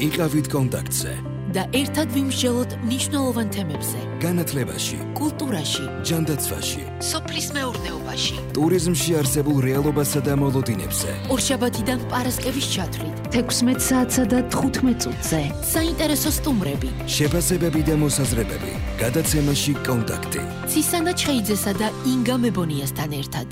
იყავით კონტაქტზე და ერთად ვიმსჯელოთ მნიშვნელოვან თემებზე. განათლებაში, კულტურაში, ჯანდაცვაში, სოფლის მეურნეობაში, ტურიზმში არსებულ რეალობასა და მოლოდინებზე. ორშაბათიდან პარასკევის ჩათვლით 16 საათსა და 15 წუთზე. საინტერესო სტუმრები, შეფასებები და მოსაზრებები. გადაცემაში კონტაქტი. ცისანა ჩხეიძესა და ინგა მებონიასთან ერთად.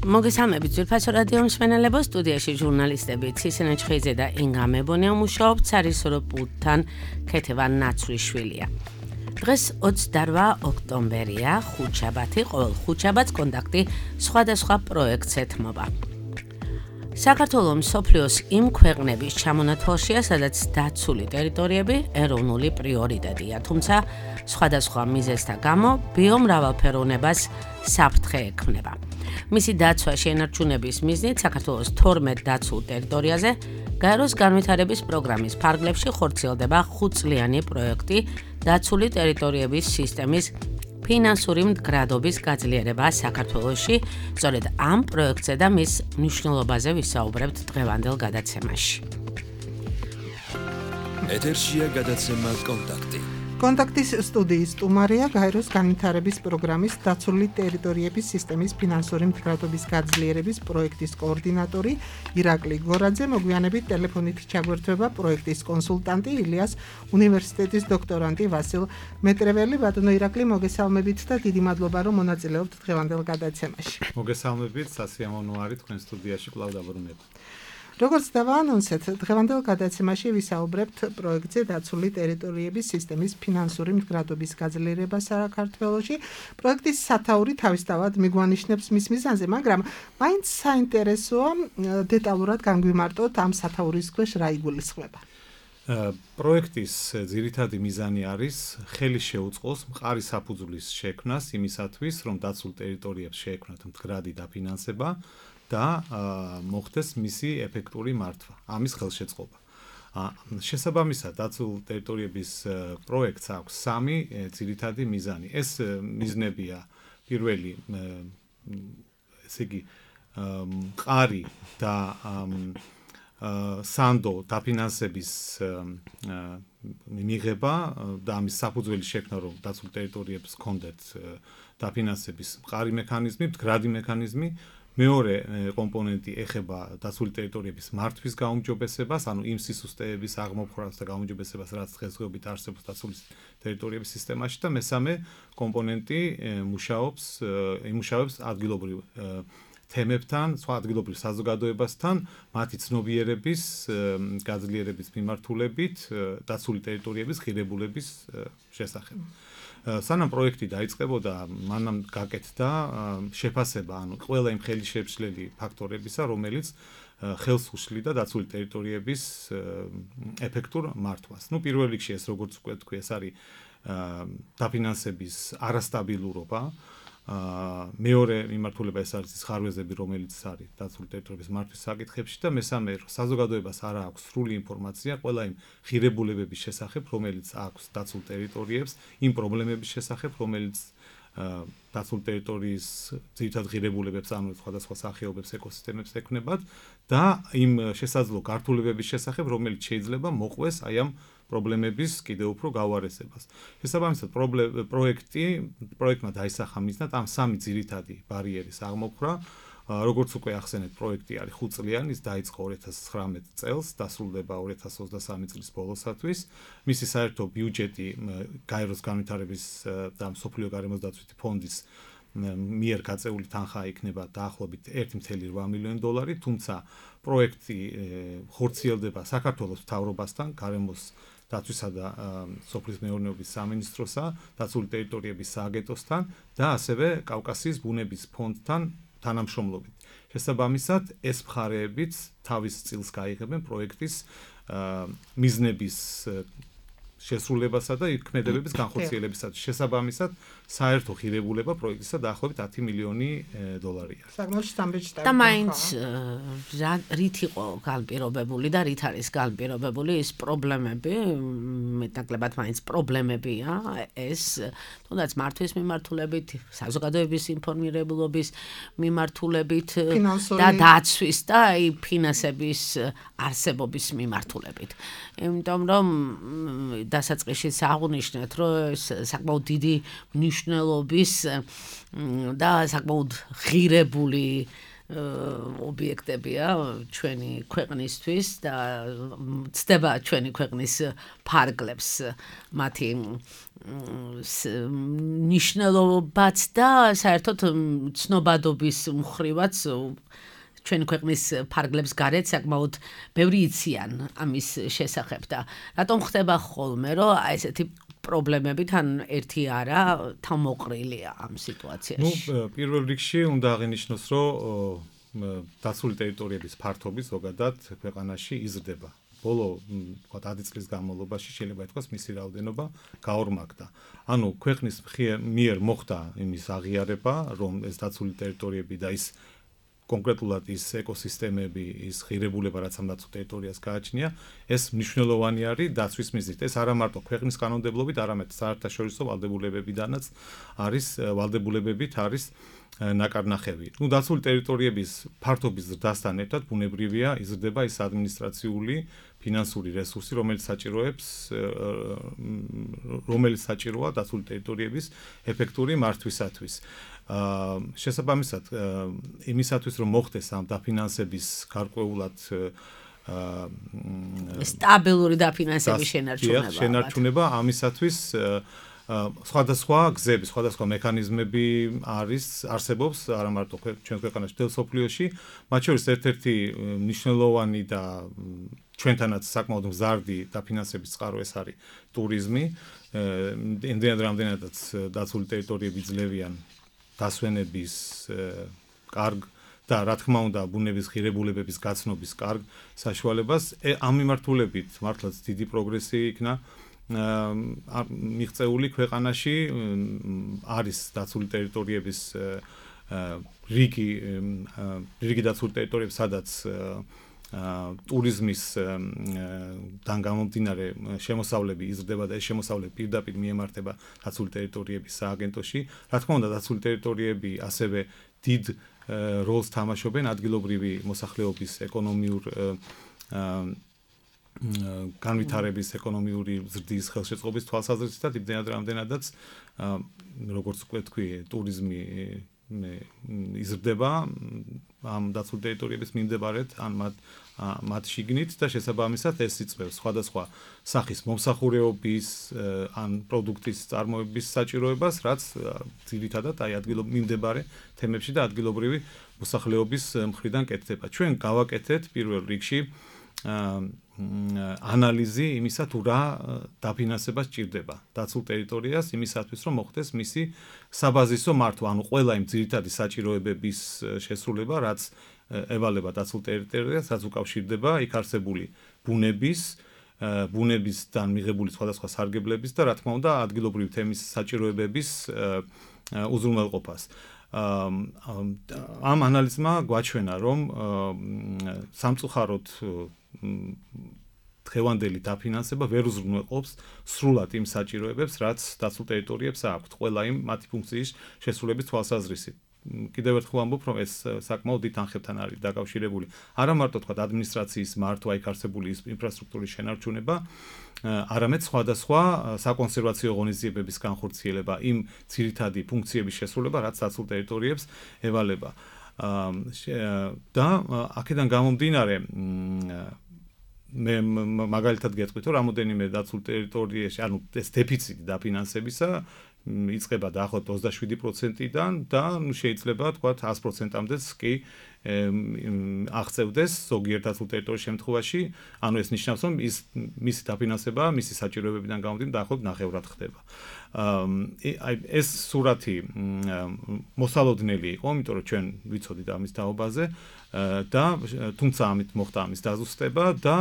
მოგესალმებით ძვირფასო რადიო მსმენელებო, სტუდიაში ჟურნალისტები ცისანა ჩხეიძე და ინგა მებონია მუშაობთ სარისორო პულტთან ქეთევა ნაცვლიშვილია. დღეს 28 ოქტომბერია, ხუთშაბათი, ყოველ ხუთშაბათს კონტაქტი სხვადასხვა პროექტს ეთმობა. საქართველოს მსოფლიოს იმ ქვეყნების ჩამონათვალშია, სადაც დაცული ტერიტორიები ეროვნული პრიორიტეტია, თუმცა სხვადასხვა მიზეზთა გამო ბიომრავალფეროვნებას საფრთხე ექმნება. მისი დაცვა შენარჩუნების მიზნით საქართველოს 12 დაცულ ტერიტორიაზე გაეროს განვითარების პროგრამის ფარგლებში ხორციელდება 5-წლიანი პროექტი დაცული ტერიტორიების სისტემის ფინანსური მდგრადობის გაძლიერება საქართველოში. სწორედ ამ პროექტზე და მის მნიშვნელობაზე ვისაუბრებთ დღევანდელ გადაცემაში. ეთერშია გადაცემა კონტაქტი. კონტაქტის სტუდიის სტუმარია გაეროს განვითარების პროგრამის დაცული ტერიტორიების სისტემის ფინანსური მდგრადობის გაძლიერების პროექტის კოორდინატორი ირაკლი გორაძე. მოგვიანებით ტელეფონით ჩაგვერთვება პროექტის კონსულტანტი ილიას უნივერსიტეტის დოქტორანტი ვასილ მეტრეველი. ბატონო ირაკლი, მოგესალმებით და დიდი მადლობა რომ მონაწილეობთ დღევანდელ გადაცემაში. მოგესალმებით, სასიამოვნო არის თქვენ სტუდიაში კვლავ დაბრუნება. როგორც დავაანონსეთ, დღევანდელ გადაცემაში ვისაუბრებთ პროექტზე დაცული ტერიტორიების სისტემის ფინანსური მდგრადობის გაძლიერება საქართველოში. პროექტის სათაური თავისთავად მიგვანიშნებს მის მიზანზე, მაგრამ მაინც საინტერესოა დეტალურად განგვიმარტოთ ამ სათაურის ქვეშ რა იგულისხმება. პროექტის ძირითადი მიზანი არის ხელი შეუწყოს მყარი საფუძვლის შექმნას იმისათვის, რომ დაცულ ტერიტორიებს შეექმნათ მდგრადი დაფინანსება და მოხდეს მისი ეფექტური მართვა, ამის ხელშეწყობა. შესაბამისად, დაცულ ტერიტორიების პროექტს აქვს 3 ძირითადი მიზანი. ეს მიზნებია პირველი, ესე იგი, მყარი და სანდო დაფინანსების მიღება და ამის საფუძველი შექმნა, რომ დაცულ ტერიტორიებს ჰქონდეთ დაფინანსების მყარი მექანიზმი, მდგრადი მექანიზმი. მეორე კომპონენტი ეხება დაცული ტერიტორიების მართვის გაუმჯობესებას, ანუ იმ სისუსტეების აღმოფხვრას და გაუმჯობესებას, რაც დღესდღეობით არსებობს დაცული ტერიტორიების სისტემაში და მესამე კომპონენტი იმუშავებს ადგილობრივ თემებთან, სხვა ადგილობრივ საზოგადოებასთან, მათი ცნობიერების გაძლიერების მიმართულებით დაცული ტერიტორიების ღირებულების შესახებ. სანამ პროექტი დაიწყებოდა, მანამ გაკეთდა შეფასება, ანუ ყველა იმ ხელშემშლელი ფაქტორებისა, რომელიც ხელს უშლიდა დაცული ტერიტორიების ეფექტურ მართვას. პირველ რიგში ეს, როგორც უკვე თქვი, ეს არის დაფინანსების არასტაბილურობა. მეორე მიმართულება ეს არის ხარვეზები, რომელიც არის დაცული ტერიტორიების მართვის საკითხებში და მესამე, საზოგადოებას არ აქვს სრული ინფორმაცია ყველა იმ ღირებულებების შესახებ, რომელიც აქვს დაცულ ტერიტორიებს, იმ პრობლემების შესახებ, რომელიც დაცული ტერიტორიის ძირითად ღირებულებებს, ანუ სხვადასხვა სახეობებს, ეკოსისტემებს ექმნებათ და იმ შესაძლო გართულებების შესახებ, რომელიც შეიძლება მოყვეს აი ამ პრობლემების კიდევ უფრო გავარესებას. შესაბამისად, პროექტმა დაისახა მიზნად ამ 3 ძირითადი ბარიერის აღმოფხვრა. როგორც უკვე ახსენეთ, პროექტი არის 5-წლიანი, ის დაიწყო 2019 წელს, დასრულდება 2023 წლის ბოლოსათვის. მისი საერთო ბიუჯეტი გაეროს განვითარების და მსოფლიო გარემოსდაცვითი ფონდის მიერ გაწეული თანხა იქნება დაახლოებით 1.8 მილიონი დოლარი, თუმცა პროექტი ხორციელდება საქართველოს მთავრობასთან, გარემოს დაცვისა და სოფლის მეურნეობის სამინისტროსა, დაცული ტერიტორიების სააგენტოსთან და ასევე კავკასიის ბუნების ფონდთან თანამშრომლობით. შესაბამისად, ეს მხარეებიც თავის წილს გაიღებენ პროექტის მიზნების შესრულებასა და ქმედებების განხორციელებისათვის. შესაბამისად, საერთო ღირებულება პროექტისა დაახლოებით 10 მილიონი დოლარია. საკმაოდ სტამბეჭდავი. და მაინც რით იყო განპირობებული და რით არის განპირობებული ის პრობლემები, მეტნაკლებად მაინც პრობლემებია ეს, თუნდაც მართვის მიმართულებით, საზოგადოების ინფორმირებულობის მიმართულებით და დაცვის და ფინანსების არსებობის მიმართულებით. იმიტომ რომ დასაწყისში აღნიშნეთ, რომ ეს საკმაოდ დიდი მნიშვნელობის და საკმაოდ ღირებული ობიექტებია ჩვენი ქვეყნისთვის და ცდება ჩვენი ქვეყნის ფარგლებს მათი ნიშნულობაც და საერთოდ ცნობადობის მხრივაც ჩვენი ქვეყნის ფარგლებს გარეთ საკმაოდ ბევრი იციან ამის შესახებ და რატომ ხდება ხოლმე რომ ესეთი პრობლემები თან ერთი არა თავმოყრილია ამ სიტუაციაში. პირველ რიგში უნდა აღინიშნოს, რომ დაცული ტერიტორიების ფართობი ზოგადად ქვეყანაში იზრდება. ბოლო, თქვათ 10 წლის განმავლობაში შეიძლება ითქვას მისი რაოდენობა გაორმაგდა. ანუ ქვეყნის მიერ მოხდა იმის აღიარება, რომ ეს დაცული ტერიტორიები და ის კონკრეტულად ის ეკოსისტემები, ის ღირებულება, რაც ამ დაცულ ტერიტორიას გააჩნია, ეს მნიშვნელოვანი არის დაცვის მიზნით. ეს არა მარტო ქვეყნის კანონმდებლობით, არამედ საერთაშორისო ვალდებულებებიდანაც ვალდებულებებით არის ნაკარნახევი. დაცული ტერიტორიების ფართობის ზრდასთან ერთად ბუნებრივია იზრდება ის ადმინისტრაციული, ფინანსური რესურსი, რომელიც საჭიროა დაცული ტერიტორიების ეფექტური მართვისათვის. შესაბამისად, იმისათვის რომ მოხდეს ამ დაფინანსების გარკვეულად სტაბილური დაფინანსების შენარჩუნება, ამისათვის სხვადასხვა გზები, სხვადასხვა მექანიზმები არსებობს არა მარტო ჩვენ ქვეყანაში, მთელ მსოფლიოში, მათ შორის ერთ-ერთი მნიშვნელოვანი და ჩვენთანაც საკმაოდ მზარდი დაფინანსების წყარო ეს არის ტურიზმი. რამდენადაც დაცული ტერიტორიები ძლევიან დასვენების კარგ და რა თქმა უნდა ბუნების ღირებულებების გაცნობის კარგ საშუალებას. ამ მიმართულებით მართლაც დიდი პროგრესი იქნა მიღწეული ქვეყანაში. არის დაცული ტერიტორიების რიგი დაცული ტერიტორიები, სადაც ტურიზმის დან გამომდინარე შემოსავლები იზრდება და ეს შემოსავლები პირდაპირ მიემართება დაცული ტერიტორიების სააგენტოში. რა თქმა უნდა, დაცული ტერიტორიები ასევე დიდ როლს თამაშობენ ადგილობრივი მოსახლეობის ეკონომიურ განვითარების, ეკონომიური ზრდის, ხელშეწყობის თვალსაზრისით და რამდენადაც როგორც უკვე თქვი, ტურიზმი იზრდება ამ დაცულ ტერიტორიების მიმდებარედ ან მათ შიგნით და შესაბამისად ეს იწვევს სხვადასხვა სახის მომსახურეობის ან პროდუქტის წარმოების საჭიროებას, რაც ძირითადად აი მიმდებარე თემებში და ადგილობრივი მოსახლეობის მხრიდან კეთდება. ჩვენ გავაკეთეთ პირველ რიგში ანალიზი იმისა თუ რა დაფინანსება სჭირდება დაცულ ტერიტორიას იმისათვის რომ მოხდეს მისი საბაზისო მართვა, ანუ ყველა იმ ძირითადი საჭიროებების შესრულება, რაც ევალება დაცულ ტერიტორიას, რაც უკავშირდება იქ არსებული ბუნებისგან მიღებული სხვადასხვა სარგებლების და რა თქმა უნდა ადგილობრივი თემის საჭიროებების უზრუნველყოფას. ამ ანალიზმა გვაჩვენა, რომ სამწუხაროდ დღევანდელი დაფინანსება ვერ უზრუნველყოფს სრულად იმ საჭიროებებს, რაც დაცულ ტერიტორიებს აქვთ, ყველა იმ მათი ფუნქციის შესრულების თვალსაზრისით. კიდევ ერთხელ ამბობ, რომ ეს საკმაოდ დიდ თანხებთან არის დაკავშირებული. არა მარტო თქვა ადმინისტრაციის მართვა, იქ არსებული ინფრასტრუქტურის შენარჩუნება, არამედ სხვადასხვა საკონსერვაციო ღონისძიებების განხორციელება, იმ ძირითადი ფუნქციების შესრულება, რაც დაცულ ტერიტორიებს ევალება. და აქედან გამომდინარე მე მაგალითად გეტყვით, რომ რამოდენიმე დაცულ ტერიტორიაში, ანუ ეს დეფიციტი დაფინანსებისა იწყება დაახლოებით 27%-დან და შეიძლება თქვა 100%-მდეც კი აღწევდეს ზოგიერთ დაცულ ტერიტორიის შემთხვევაში, ანუ ეს ნიშნავს, რომ მისი დაფინანსება, მისი საჭიროებებიდან გამომდინარე დაახლოებით ნახევრად ხდება. აი ეს სურათი მოსალოდნელი იყო, იმიტომ რომ ჩვენ ვიცოდით ამის თაობაზე და თუმცა ამით მოხდა ამის დაზუსტება და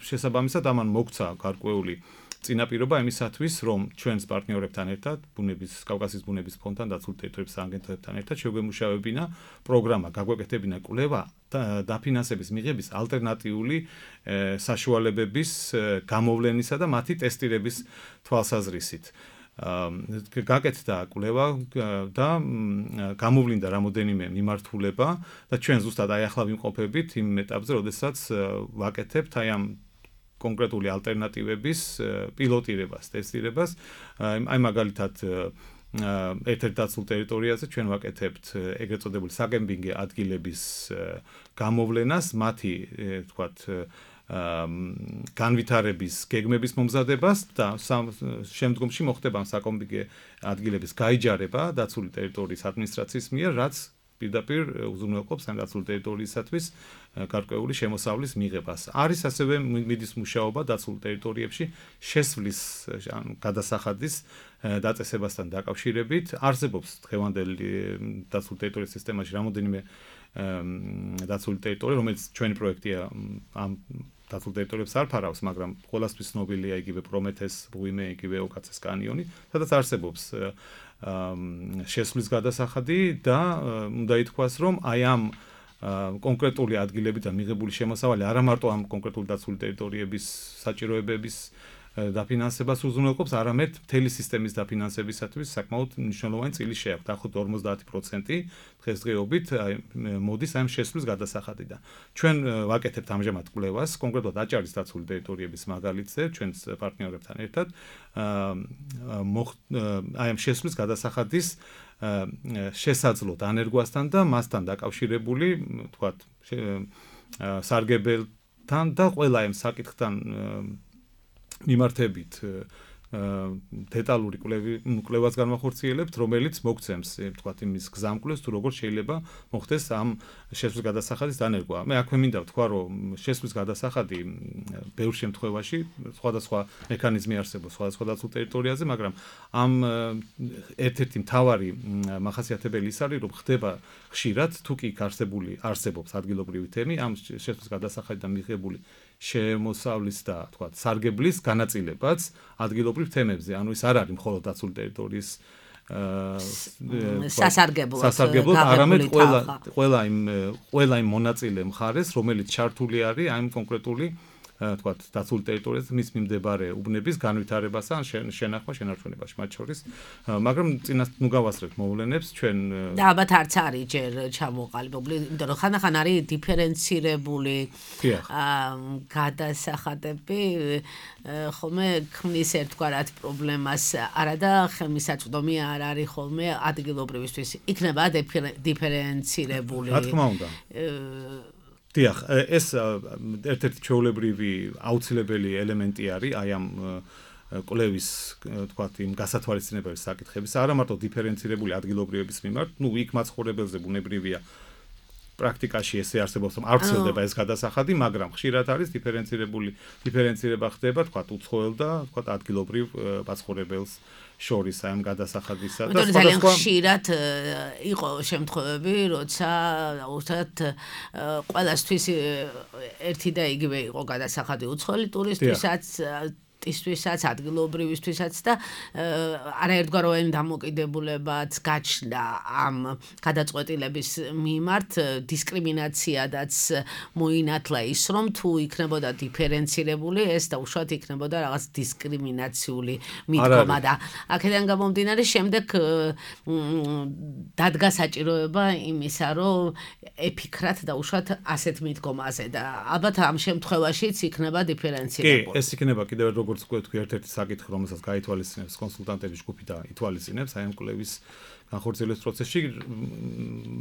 შესაბამისად ამან მოგცა გარკვეული წინაპირობა იმისათვის, რომ ჩვენს პარტნიორებთან ერთად, კავკასიის ბუნების ფონდთან, დაცული ტერიტორიების აგენტოებთან ერთად შეგვემუშავებინა პროგრამა, გაგვეკეთებინა კვლევა დაფინანსების მიღების ალტერნატიული საშუალებების გამოვლენისა და მათი ტესტირების თვალსაზრისით. გაკეთდა კვლევა და გამოვლინდა რამოდენიმე მიმართულება და ჩვენ ზუსტად აი ახლა ვიმყოფებით იმ ეტაპზე, როდესაც ვაკეთებთ აი ამ კონკრეტული ალტერნატივების პილოტირებას, ტესტირებას. აი მაგალითად ერთ-ერთ დაცულ ტერიტორიაზე ჩვენ ვაკეთებთ ეგრეთ წოდებული საკემპინგო ადგილების გამოვლენას, მათი თქვათ განვითარების გეგმების მომზადებას და შემდგომში მოხდება საკემპინგო ადგილების გაიჯარება დაცული ტერიტორიის ადმინისტრაციის მიერ, რაც პირდაპირ უზრუნველყოფს ამ დაცული ტერიტორიისათვის გარკვეული შემოსავლის მიღებას. არის ასევე მიდის მუშაობა დაცულ ტერიტორიებში შესვლის გადასახადის დაწესებასთან დაკავშირებით. არსებობს დღევანდელი დაცული ტერიტორიის სისტემაში რამოდენიმე დაცული ტერიტორია, რომელიც ჩვენი პროექტია ამ დაცულ ტერიტორიებს არ ფარავს, მაგრამ ყველასთვის ცნობილია იგივე პრომეთეს, ბუიმე, იგივე ოკაცეს კანიონი, სადაც არსებობს შესვლის გადასახადი და უნდა ითქვას, რომ აი ამ კონკრეტული ადგილებიდან მიღებული შემოსავალი არა მარტო ამ კონკრეტული დაცული ტერიტორიების საჭიროებების დაფინანსებას უზრუნველყოფს, არამედ მთელი სისტემის დაფინანსებისათვის საკმაოდ მნიშვნელოვანი წილი შეაქვს. დაახლოებით 50% დღესდღეობით მოდის ამ შესვლის გადასახადიდან. ჩვენ ვაკეთებთ ამჟამად კვლევას, კონკრეტულად აჭარის დაცული ტერიტორიების მაგალითზე, ჩვენს პარტნიორებთან ერთად, აი ამ შესვლის გადასახადის შესაძლო დანერგვასთან და მასთან დაკავშირებული, თქვათ, სარგებელთან და ყველა ამ საკითხთან მიმართებით დეტალური კვლევას განვახორციელებთ, რომელიც მოგცემს, თქვათ, იმის გზამკვლევს, თუ როგორ შეიძლება მოხდეს ამ შესვლის გადასახადის დანერგვა. მე აქვე მინდა ვთქვა, რომ შესვლის გადასახადი ბევრ შემთხვევაში სხვადასხვა მექანიზმი არსებობს სხვადასხვა დაცულ ტერიტორიაზე, მაგრამ ამ ერთ-ერთი მთავარი მახასიათებელი ის არის, რომ ხდება ხშირად, თუ კი არსებობს ადგილობრივი თემი, ამ შესვლის გადასახადიდან მიღებული შემოსავლის და თქვათ სარგებლის განაწილებაც ადგილობრივ თემებზე. ანუ ის არ არის მხოლოდ დაცული ტერიტორიის სასარგებლოდ, არამედ ყველა იმ მონაწილე მხარეს, რომელიც ჩართული არის ამ კონკრეტული თქვათ დაცული ტერიტორიაზე მის მიმდებარე უბნების განვითარებასა ან შენახვა შენარჩუნებაში მათ შორის, მაგრამ წინას ნუ გავასწრებთ მოვლენებს ჩვენ და ალბათ არც არის ჯერ ჩამოყალიბებული, იმიტომ რომ ხანდახან არის დიფერენცირებული გადასახადები, ხოლმე ქმნის ერთგვარად პრობლემას, არა და ხელმისაწვდომი არ არის ხოლმე ადგილობრივისთვის. იქნება დიფერენცირებული. რა თქმა უნდა. დიახ, ეს ერთ-ერთი ჩვეულებრივი აუცილებელი ელემენტი არის აი ამ კვლევის, თქვათ, იმ გასათვალისწინებელი საკითხების, არა მარტო დიფერენცირებული ადგილობრივების მიმართ, ნუ იქ მაცხოვრებელზე ბუნებრივია პრაქტიკაში ესე არსებობს, რომ არ ვრცელდება ეს გადასახადი, მაგრამ ხშირად არის დიფერენცირება ხდება, თქვათ, უცხოელ და თქვათ ადგილობრივ მაცხოვრებელს შორის აი ამ გადასახადისა და ძალიან ხშირად იყო შემთხვევები, როცა უბრალოდ ყველასთვის ერთი და იგივე იყო გადასახადი უცხოელი ტურისტისთვისაც, ადგილობრივისთვისაც და არაერთგვაროვანი დამოკიდებულებაც გაჩნდა ამ გადაწყვეტილების მიმართ, დისკრიმინაციადაც მოინათლა ის, რომ თუ იქნებოდა დიფერენცირებული, ეს დაუშვათ იქნებოდა რაღაც დისკრიმინაციული მიდგომა და აქედან გამომდინარე შემდეგ დადგა საჭიროება იმისა, რომ ეფიქრათ დაუშვათ ასეთ მიდგომაზე და ალბათ ამ შემთხვევაშიც იქნება დიფერენცირებული. კი, ეს იქნება კიდევ როგორც თქვი, ერთ-ერთი საკითხი, რომელსაც გაითვალისწინებს კონსულტანტების ჯგუფი და ითვალისწინებს აი ამ კვლევის განხორციელების პროცესში,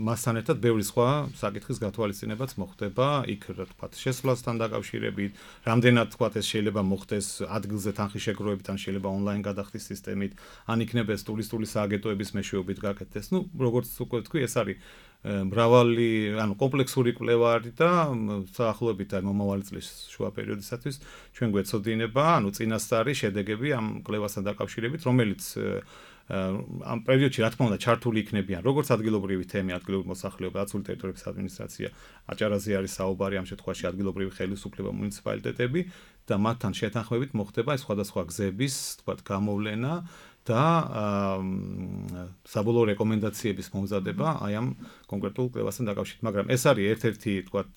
მასთან ერთად ბევრი სხვა საკითხის გათვალისწინებაც მოხდება, იქ რა თქვა, შესვლასთან დაკავშირებით, რამდენად თქვა ეს შეიძლება მოხდეს ადგილზე თანხის შეგროვებით, ან შეიძლება ონლაინ გადახდის სისტემით, ან იქნება ეს ტურისტული სააგენტოების მეშვეობით გაკეთდეს. ნუ როგორც უკვე თქვი, ეს არის მრავალი, ანუ კომპლექსური კვლევა არის და საახლოებით აი მომავალი წლის შუა პერიოდისათვის ჩვენ გვეცოდინება, ანუ წინასწარი შედეგები ამ კვლევასთან დაკავშირებით, რომელიც ამ პერიოდში რა თქმა უნდა ჩართული იქნებიან როგორც ადგილობრივი თემი, ადგილობრივი მოსახლეობა, დაცული ტერიტორიების ადმინისტრაცია, აჭარაზე არის საუბარი ამ შემთხვევაში ადგილობრივი ხელისუფლება, მუნიციპალიტეტები და მათთან შეთანხმებით მოხდება სხვადასხვა გზების, თქვათ, გამოვლენა და საბოლოო რეკომენდაციების მომზადება აი ამ კონკრეტულ კვლევასთან დაკავშირებით, მაგრამ ეს არის ერთ-ერთი, თქვათ,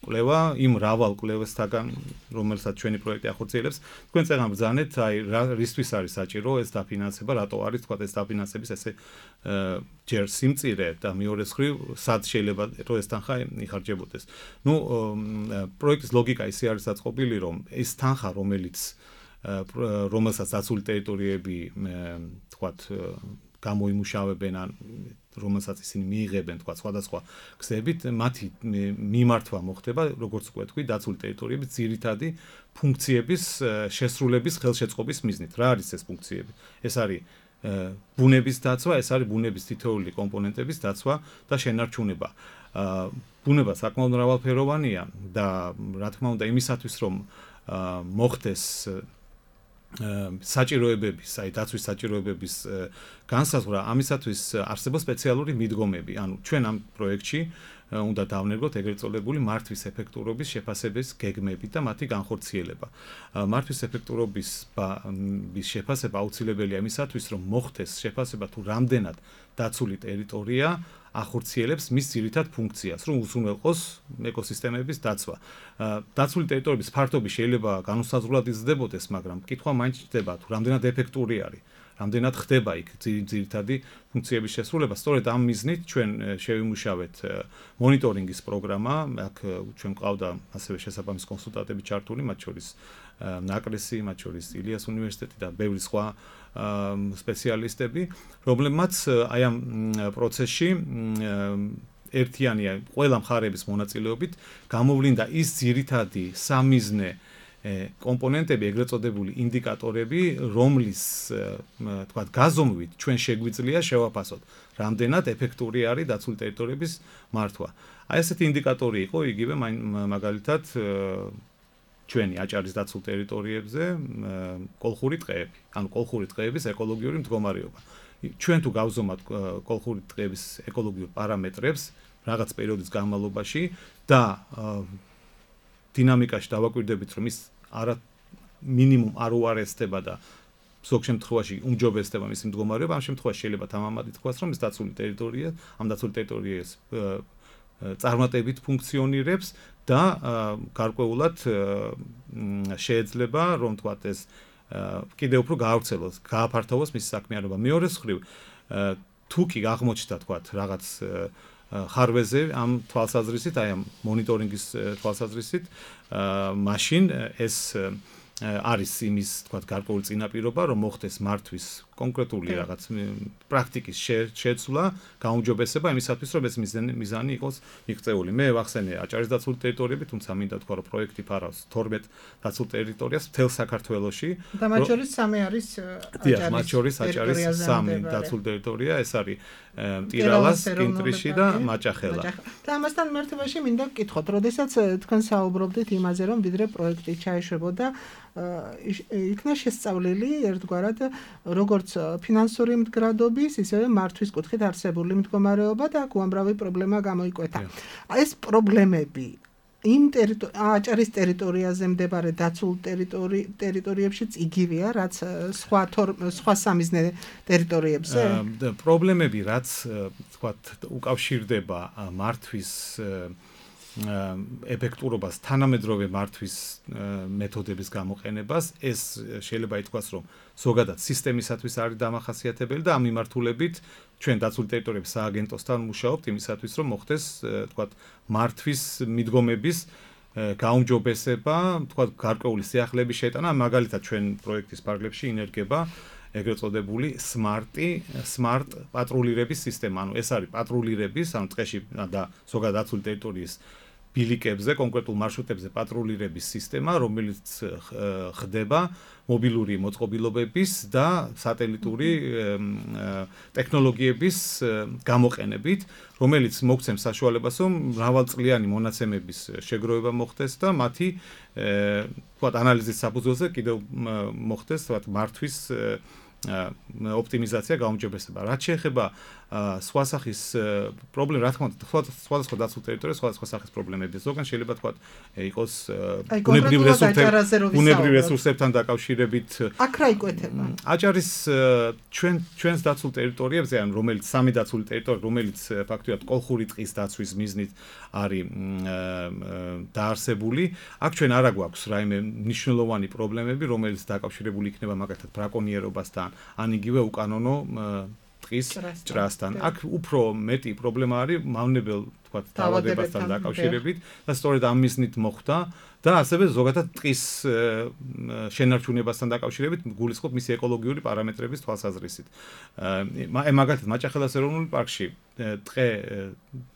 კვლევა იმ მრავალ კვლევასთაგან, რომელსაც ჩვენი პროექტი ახორციელებს. თქვენ წეგან ბრძანეთ, აი რისთვის არის საჭირო ეს დაფინანსება, რატო არის, თქვათ, ეს დაფინანსების ესე ჯერ სიმწირე და მეორე მხრივ სად შეიძლება რომ ეს თანხა იხარჯებოდეს. ნუ პროექტის ლოგიკა ისე არის დაწყობილი, რომ ეს თანხა, რომელსაც დაცული ტერიტორიები თქვათ გამოიმუშავებენ ან რომელსაც ისინი მიიღებენ თქვათ სხვადასხვა გზებით, მათი მიმართვა მოხდება, როგორც უკვე თქვი, დაცული ტერიტორიების ძირითადი ფუნქციების შესრულების ხელშეწყობის მიზნით. რა არის ეს ფუნქციები? ეს არის ბუნების დაცვა, ეს არის ბუნების თითოეული კომპონენტების დაცვა და შენარჩუნება. ბუნება საკმაოდ მრავალფეროვანია და რა თქმა უნდა იმისათვის რომ მოხდეს საჭიროებების, აი დაცვის საჭიროებების განსაზღვრა, ამისათვის არსებობს სპეციალური მიდგომები. ანუ ჩვენ ამ პროექტში უნდა დავნერგოთ ეგრეთ წოდებული მართვის ეფექტურობის შეფასების გეგმები და მათი განხორციელება. მართვის ეფექტურობის შეფასება აუცილებელია იმისათვის, რომ მოხდეს შეფასება თუ რამდენად დაცული ტერიტორია ახორციელებს მის ძირითად ფუნქციას, რომ უზრუნველყოს ეკოსისტემების დაცვა. დაცული ტერიტორიების ფართობი შეიძლება განუსაზღვრად იზრდებოდეს, მაგრამ კითხვა მაინც ჩდება, თუ რამდენად ეფექტური არის, რამდენად ხდება იქ ძირითადი ფუნქციების შესრულება. სწორედ ამ მიზნით ჩვენ შევიმუშავეთ მონიტორინგის პროგრამა, აქ ჩვენ ყავდა ასევე შესაბამის კონსულტანტები ჩართული, მათ შორის ნაკრესი, მათ შორის ილიას უნივერსიტეტი და ბევრი სხვა სპეციალისტები, რომლებმაც აი ამ პროცესში ერთიანია ყველა მხარების მონაწილეობით გამოვლინდა ის ძირითადი სამიზნე კომპონენტები, ეგრეთ წოდებული ინდიკატორები, რომლის თქვათ გაზომვით ჩვენ შეგვიძლია შევაფასოთ, რამდენად ეფექტური არის დაცული ტერიტორიების მართვა. აი ესეთი ინდიკატორი იყო იგივე მაგალითად ჩვენი აჭარის დაცულ ტერიტორიებზე კოლხური ტყეები, ანუ კოლხური ტყეების ეკოლოგიური მდგომარეობა. ჩვენ თუ გავზომავთ კოლხური ტყეების ეკოლოგიურ პარამეტრებს რაღაც პერიოდის განმავლობაში და დინამიკაში დავაკვირდებით, რომ ის მინიმუმ არ უარესდება და ზოგ შემთხვევაში უმჯობესდება მისი მდგომარეობა, ამ შემთხვევაში შეიძლება თამამად ითქვას, რომ ეს დაცული ტერიტორია, ამ დაცული ტერიტორიას წარმატებით ფუნქციონირებს და გარკვეულად შეიძლება, რომ თქვათ ეს კიდევ უფრო გაავრცელოს, გააფართოვოს მისი საქმიანობა. მეორე მხრივ, თუ კი აღმოჩნდა თქვათ რაღაც ხარვეზე ამ თვალსაზრისით, აი ამ მონიტორინგის თვალსაზრისით, მაშინ ეს არის იმის თქვათ გარკვეული წინაპირობა, რომ მოხდეს მართვის კონკრეტული რაღაც პრაქტიკის შეცვლა, გაუმჯობესება იმისათვის, რომ ეს მიზანი იყოს მიღწეული. მე ვახსენე აჭარის დაცული ტერიტორიები, თუმცა მინდა თქვა, რომ პროექტი ფარავს 12 დაცულ ტერიტორიას მთელ საქართველოში. და მათ შორის 3 არის აჭარის 3 დაცული ტერიტორია, ეს არის ტირალას, კინტრიში და მაჭახელა. და ამასთან მერტებაში მინდა გკითხოთ, როდესაც თქვენ საუბრობდით იმაზე, რომ ვიდრე პროექტი ჩაეშვებოდა, იქნა შესწავლილი ერთგვარად როგორც ფინანსური მდგრადობის, ისევე მართვის კუთხით არსებული მდგომარეობა და უამრავი პრობლემა გამოიკვეთა. ეს პრობლემები იმ აჭარის ტერიტორიაზე მდებარე დაცულ ტერიტორიებშიც იგივეა, რაც სხვა სამიზნე ტერიტორიებზე? პრობლემები, რაც თქვათ უკავშირდება მართვის ეფექტურობას, თანამედროვე მართვის მეთოდების გამოყენებას, ეს შეიძლება ითქვას, რომ ზოგადად სისტემისათვის არის დამახასიათებელი და ამ მიმართულებით ჩვენ დაცული ტერიტორიების სააგენტოსთან მუშაობთ იმისათვის, რომ მოხდეს თქვათ მართვის მიდგომების გაუმჯობესება, თქვათ გარკვეული სიახლეების შეტანა, მაგალითად ჩვენ პროექტის ფარგლებში ინერგება ეგრეთ წოდებული smart პატრულირების სისტემა. ანუ ეს არის პატრულირების, ანუ ტყეში და ზოგადად დაცული ტერიტორიის ბილიკებზე, კონკრეტულ მარშრუტებზე პატრულირების სისტემა, რომელიც ხდება მობილური მოწყობილობების და სატელიტური ტექნოლოგიების გამოყენებით, რომელიც მოგცემს საშუალებას, რომ მრავალწლიანი მონაცემების შეგროვება მოხდეს და მათი თქვათ ანალიზის საფუძველზე კიდევ მოხდეს თქვათ მართვის ოპტიმიზაცია, გაუმჯობესება. რაც შეეხება სხვა სახის პრობლემა, რა თქმა უნდა, სხვადასხვა დაცულ ტერიტორიაზე სხვადასხვა სახის პრობლემებია. ზოგან შეიძლება თქვა იყოს ბუნებრივ რესურსებთან დაკავშირებით. აქ რა იკვეთება? აჭარის ჩვენს დაცულ ტერიტორიებზე, ან რომელიც სამი დაცული ტერიტორია, რომელიც ფაქტობრივად კოლხური ტყის დაცვის მიზნით არის დაარსებული, აქ ჩვენ არ აგვაქვს რაიმე მნიშვნელოვანი პრობლემები, რომელიც დაკავშირებული იქნება მაგალითად ბრაკონიერობასთან, ან იგივე უკანონო ტყის ჭრასთან. აქ უფრო მეტი პრობლემა არის მავნებელ, თქვა, დაავადებასთან დაკავშირებით და სწორედ ამ მიზნით მოხდა და ასევე ზოგადად ტყის შენარჩუნებასთან დაკავშირებით გულისხმობ მისი ეკოლოგიური პარამეტრების თვალსაზრისით. მაგალითად, მაჭახელას ეროვნული პარკში ტყე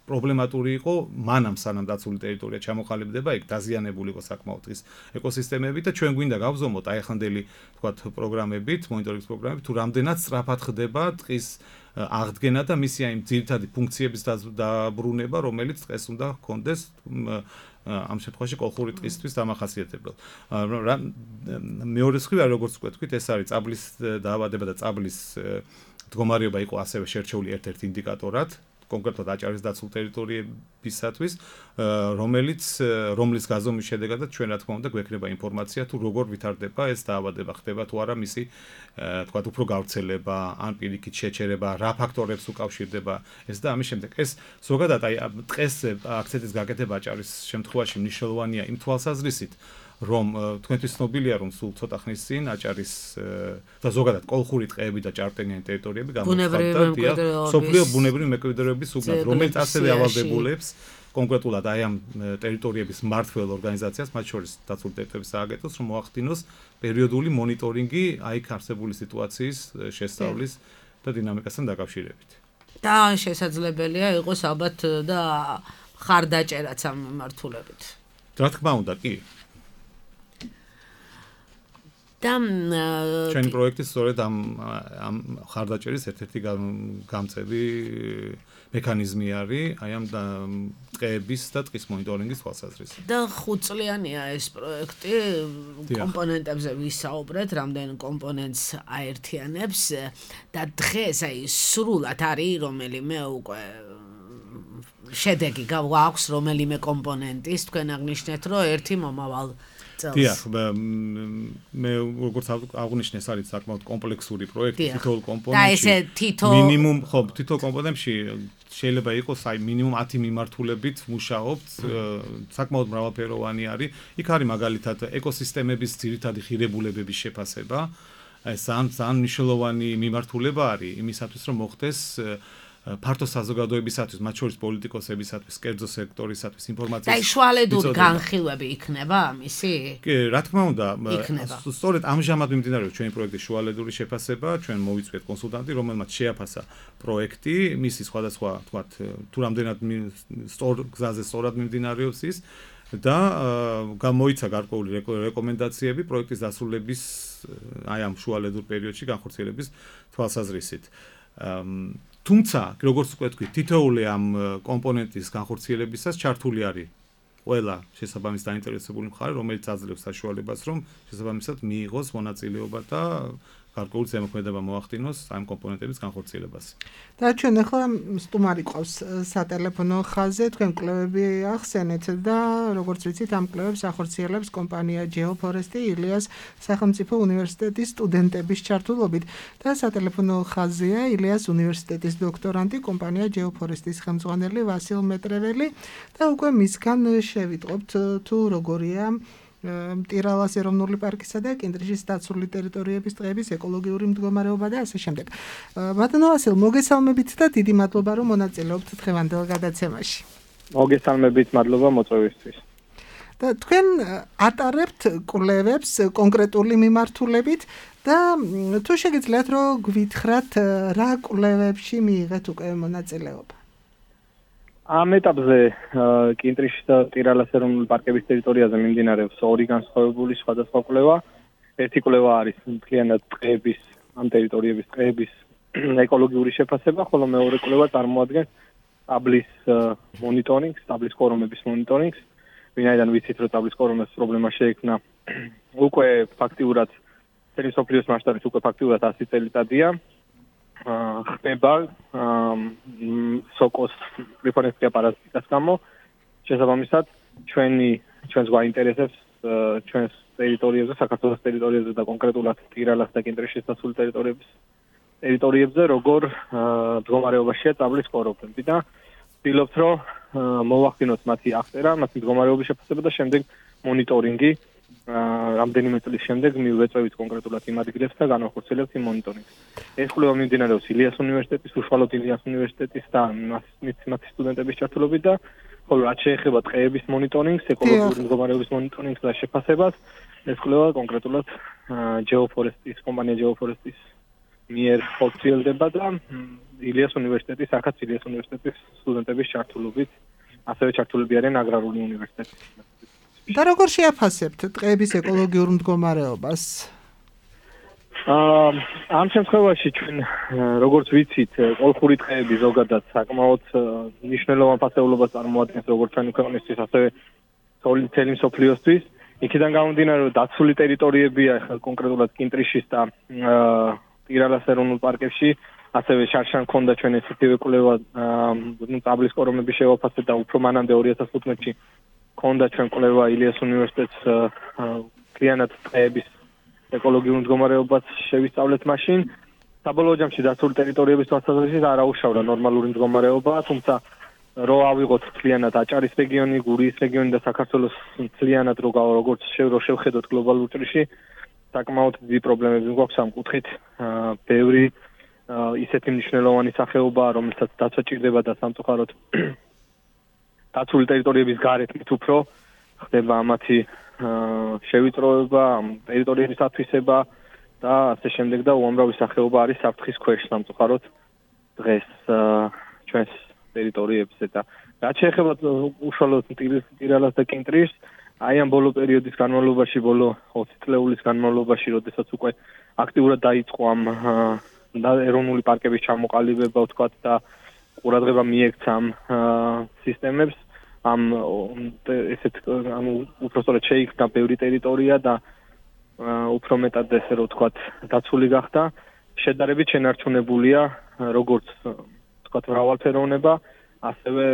პრობლემატური იყო მანამ სანამ დაცული ტერიტორია ჩამოყალიბდება, იქ დაზიანებული იყო საკმაოდ ტყის ეკოსისტემები და ჩვენ გვინდა გავზომოთ აი ახანდელი თქვა პროგრამებით, მონიტორინგის პროგრამებით, თუ რამდენად სწრაფად ხდება ტყის აღდგენა და მისი აი ძირითადი ფუნქციების დაბრუნება, რომელიც ტყეს უნდა ჰქონდეს ამ შემთხვევაში კოლხური ტყისთვის დამახასიათებელ. მეორე მხრივ, როგორც ვთქვით, ეს არის წაბლის დაავადება და წაბლის მდგომარეობა იყო ასევე შერჩეული ერთ-ერთ ინდიკატორად, კონკრეტულად აჭარის დაცულ ტერიტორიებისათვის, რომლის გაზომვის შედეგადაც ჩვენ რა თქმა უნდა გვექნება ინფორმაცია თუ როგორ ვითარდება ეს დაავადება, ხდება თუ არა მისი თქვა უფრო გავრცელება, ან პირიქით შეჩერება, რა ფაქტორებს უკავშირდება ეს და ამის შემდეგ. ეს ზოგადად აი ტყეს აქცენტის გაკეთება აჭარის შემთხვევაში მნიშვნელოვანია იმ თვალსაზრისით, რომ თქვენთვის ცნობილია, რომ სულ ცოტა ხნის წინ აჭარის და ზოგადად კოლხური ტყეები და ჭარბტენიანი ტერიტორიები გამოცხადდა სოფლიო ბუნებრივი მემკვიდრეობის უბნად, რომელიც ასევე ავალდებულებს კონკრეტულად აი ამ ტერიტორიების მმართველ ორგანიზაციას, მათ შორის დაცული ტერიტორიების სააგენტოს, რომ მოახდინოს პერიოდული მონიტორინგი აიქ არსებული სიტუაციის შესწავლის და დინამიკასთან დაკავშირებით. და შესაძლებელია იყოს ალბათ და ხარდაჭერაც ამ მიმართულებით. რა თქმა უნდა, კი. ჩვენი პროექტი სწორედ ამ ხარდაჭერის ერთ-ერთი გამწევი მექანიზმი არის აი ამ ტყეების და ტყის მონიტორინგის თვალსაზრისით. და 5 წლიანია ეს პროექტი, კომპონენტებზე ვისაუბრეთ, რამდენ კომპონენტს აერთიანებს და დღეს აი სრულად არის რომელიმე უკვე შედეგი გვაქვს რომელიმე კომპონენტის, თქვენ აღნიშნეთ, რომ ერთი მომავალ დიახ, მე როგორც აღნიშნე, ეს არის საკმაოდ კომპლექსური პროექტი, თითოეულ კომპონენტში მინიმუმ, თითოეულ კომპონენტში შეიძლება იყოს აი მინიმუმ 10 მიმართულებით მუშაობთ, საკმაოდ მრავალფეროვანი არის. იქ არის მაგალითად ეკოსისტემების ძირითადი ღირებულებების შეფასება. ეს ძალიან მნიშვნელოვანი მიმართულება არის იმისათვის, რომ მოხდეს ფართო საზოგადოებისათვის, მათ შორის პოლიტიკოსებისათვის, კერძო სექტორისათვის ინფორმაციის. და შუალედური განხილვები იქნება ამისი? კი, რა თქმა უნდა, სწორედ ამჟამად მიმდინარეობს ჩვენი პროექტის შუალედური შეფასება, ჩვენ მოვიწვიეთ კონსულტანტი, რომელმაც შეაფასა პროექტი, მისი სხვადასხვა, თქვათ, თუ რამდენად სწორ გზაზე სწორად მიმდინარეობს ის და გამოიცა გარკვეული რეკომენდაციები პროექტის დასრულების აი ამ შუალედურ პერიოდში განხორციელების თვალსაზრისით. თუმცა, როგორც ვთქვით, თითოეული ამ კომპონენტის განხორციელებისას ჩართული არის ყველა შესაბამის დაინტერესებული მხარე, რომელიც აძლევს საშუალებას, რომ შესაბამისად მიიღოს მონაწილეობა და გარკვეული ზემოქმედება მოახდინოს ამ კომპონენტების განხორციელებას. და ჩვენ ახლა სტუმარი ყავს სატელეფონო ხაზზე, თქვენ კვლევები ახსენეთ და როგორც ვიცით, ამ კვლევებს ახორციელებს კომპანია GeoForest ილიას სახელმწიფო უნივერსიტეტის სტუდენტების ჩართულობით და სატელეფონო ხაზზეა ილიას უნივერსიტეტის დოქტორანტი კომპანია GeoForest-ის ხელმძღვანელი ვასილ მეტრეველი და უკვე მისგან შევიტყობთ თუ როგორია მტირალას ეროვნული პარკისა და კინტრიშის დაცული ტერიტორიების ტყეების ეკოლოგიური მდგომარეობა და ასე შემდეგ. ბატონო ვასილ, მოგესალმებით და დიდი მადლობა, რომ მონაწილეობთ დღევანდელ გადაცემაში. მოგესალმებით, მადლობა მოწვევისთვის. და თქვენ ატარებთ კვლევებს კონკრეტული მიმართულებით და თუ შეგიძლიათ რომ გვითხრათ რა კვლევებში მიიღეთ უკვე მონაწილეობა? ამ ეტაპზე კინტრიშის და ტირალას ეროვნული პარკების ტერიტორიაზე მიმდინარეობს ორი განსხვავებული სხვადასხვა კვლევა. ერთი კვლევა არის მთლიანად ტყეების, ამ ტერიტორიების ტყეების ეკოლოგიური შეფასება, ხოლო მეორე კვლევა წარმოადგენს ტაბლის მონიტორინგს, ტაბლის კორომების მონიტორინგს. ვინაიდან ვიცით, რომ ტაბლის კორომების პრობლემა შეექმნა უკვე ფაქტიურად წელი სოფლიოს მასშტაბით უკვე ფაქტიურად 100 წელიწადია. ხდება სოკოს რეფორმის პარაზიტას გამო შესაბამისად ჩვენს გვაინტერესებს ჩვენს ტერიტორიებზე, საქართველოს ტერიტორიებზე და კონკრეტულად ტირალას და კინტრიშის დასული ტერიტორიებზე როგორ მდგომარეობაშია წაბლის კოროფები და ვცდილობთ რომ მოვახდინოთ მათი აღწერა, მათი მდგომარეობის შეფასება და შემდეგ მონიტორინგი რამდენიმე წლის შემდეგ მივეწევით კონკრეტულად იმ ადგილებს და განვახორციელებთ იმ მონიტორინგს. ეს კვლევა მიმდინარეობს ილიას უნივერსიტეტის, უშუალოდ ილიას უნივერსიტეტის და მათი სტუდენტების ჩართულობით და ხოლო რაც შეეხება ტყეების მონიტორინგს, ეკოლოგიური მდგომარეობის მონიტორინგს და შეფასებას, ეს კვლევა კონკრეტულად კომპანია Geoforest-ის მიერ ხორციელდება და ილიას უნივერსიტეტის სტუდენტების ჩართულობით, ასევე ჩართულები არიან აგრარული უნივერსიტეტის. და როგორ შეაფასებთ ტყეების ეკოლოგიურ მდგომარეობას? ამ შემთხვევაში ჩვენ როგორც ვიცით, კოლხური ტყეები ზოგადად საკმაოდ მნიშვნელოვან ფასეულობას წარმოადგენს როგორც ჩვენი ქვეყნისთვის, ასევე მთელი მსოფლიოსთვის. იქიდან გამომდინარე, რომ დაცული ტერიტორიებია კონკრეტულად კინტრიშის და ტირალას ეროვნულ პარკებში, ასევე შარშან ქონდა ჩვენ ესეთივე კვლევა წაბლის კორომების შევაფასე და უფრო მანამდე 2015-ში ქონდა ჩვენ კვლევა ილიას უნივერსიტეტს კრიანად ტყეების ეკოლოგიურ მდგომარეობას შევისწავლეთ მაშინ. საბოლოო ჯამში დაცული ტერიტორიების თვალსაზრისით არ აუშავრა ნორმალური მდგომარეობა, თუმცა რო ავიღოთ მთლიანად აჭარის რეგიონი, გურიის რეგიონი და საქართველოს მთლიანად როგორც შევხედოთ გლობალურ ჭრიში, საკმაოდ დიდი პრობლემები გვაქვს ამ კუთხით. ბევრი ისეთი მნიშვნელოვანი სახეობაა, რომელსაც დაცვა ჭირდება და სამწუხაროდ დაცული ტერიტორიების გარეთ მით უფრო ხდება მათი შევიწროება, ტერიტორიების ათვისება და ასე შემდეგ და უამრავი სახეობა არის საფრთხის ქვეშ სამწუხაროდ დღეს ჩვენს ტერიტორიებზე და რაც შეეხება უშუალოდ ტირალას და კინტრიშს, აი ამ ბოლო პერიოდის განმავლობაში, ბოლო 20 წლეულის განმავლობაში, როდესაც უკვე აქტიურად დაიწყო ამ ეროვნული პარკების ჩამოყალიბება, ვთქვათ და ყურადღება მიექცა ამ სისტემებს, უпростоრად შეიქმნა ბევრი ტერიტორია და უფრო მეტად ესე რომ ვთქვათ დაცული გახდა, შედარებით შენარჩუნებულია როგორც ვთქვათ მრავალფეროვნება, ასევე